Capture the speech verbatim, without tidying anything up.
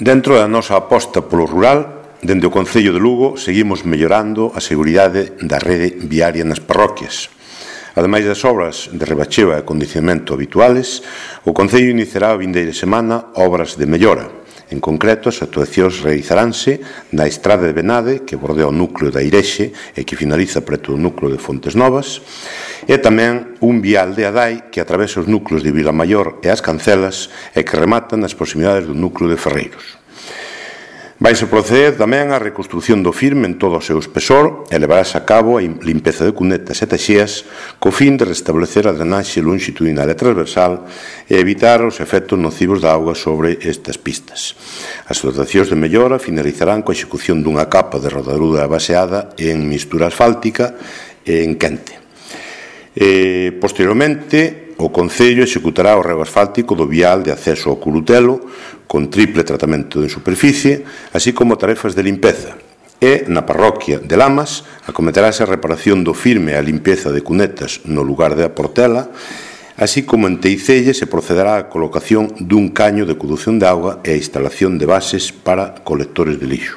Dentro da nosa aposta polo rural, dende o Concello de Lugo seguimos mellorando a seguridade da rede viaria nas parroquias. Ademais das obras de rebacheo e acondicionamento habituales, o Concello iniciará a vindeira semana obras de mellora. En concreto, as actuacións realizaránse na estrada de Benade, que bordea o núcleo da Irexe e que finaliza preto do núcleo de Fontes Novas, e tamén un vial de Adai que atravesa os núcleos de Vilamaior e as Cancelas e que remata nas proximidades do núcleo de Ferreiros. Vaise proceder tamén a reconstrucción do firme en todo o seu espesor e levarase a cabo a limpeza de cunetas e taxías co fin de restablecer a drenaxe longitudinal e transversal e evitar os efectos nocivos da auga sobre estas pistas. As dotacións de mellora finalizarán coa execución dunha capa de rodadura baseada en mistura asfáltica e en quente. E, posteriormente, o Concello executará o rego asfáltico do vial de acceso ao Curutelo con triple tratamento en superficie, así como tarefas de limpeza. E, na parroquia de Lamas, acometerase a reparación do firme e a limpeza de cunetas no lugar de a Portela, así como en Teicelle se procederá á colocación dun caño de condución de auga e a instalación de bases para colectores de lixo.